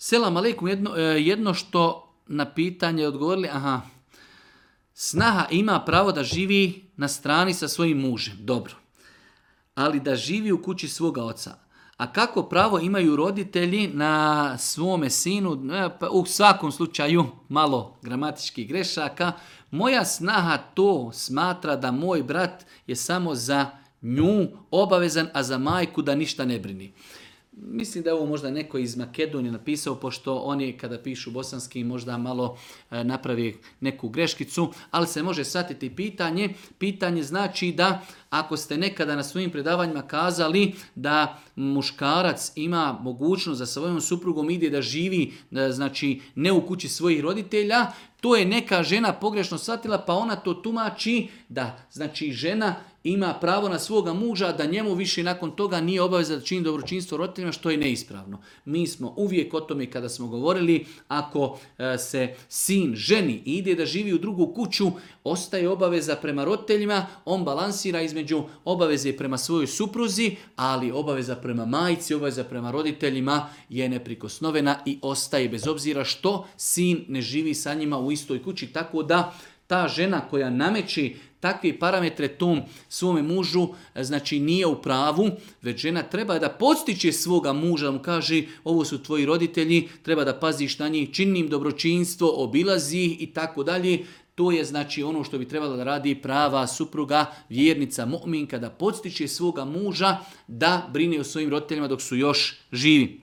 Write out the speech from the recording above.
Selam aleikum, jedno što na pitanje odgovorili, snaha ima pravo da živi na strani sa svojim mužem, dobro, ali da živi u kući svoga oca. A kako pravo imaju roditelji na svome sinu, pa u svakom slučaju malo gramatičkih grešaka, moja snaha to smatra da moj brat je samo za nju obavezan, a za majku da ništa ne brini. Mislim da je ovo možda neko iz Makedonije napisao, pošto oni kada pišu bosanski možda malo napravi neku greškicu, ali se može shvatiti pitanje. Pitanje znači da ako ste nekada na svojim predavanjima kazali da muškarac ima mogućnost za svojom suprugom ide da živi, znači ne u kući svojih roditelja, to je neka žena pogrešno shvatila pa ona to tumači da znači žena ima pravo na svoga muža, da njemu više nakon toga nije obaveza da čini dobročinstvo roditeljima, što je neispravno. Mi smo uvijek o tome kada smo govorili, ako se sin ženi i ide da živi u drugu kuću, ostaje obaveza prema roditeljima, on balansira između obaveze prema svojoj supruzi, ali obaveza prema majci, obaveza prema roditeljima je neprikosnovena i ostaje bez obzira što sin ne živi sa njima u istoj kući, tako da ta žena koja nameći takve parametre tom svome mužu, znači nije u pravu, već žena treba da podstiče svoga muža, da mu kaže ovo su tvoji roditelji, treba da paziš na njih, čini im dobročinstvo, obilazi ih i tako dalje. To je znači ono što bi trebala da radi prava supruga, vjernica, mu'minka, da podstiče svoga muža da brine o svojim roditeljima dok su još živi.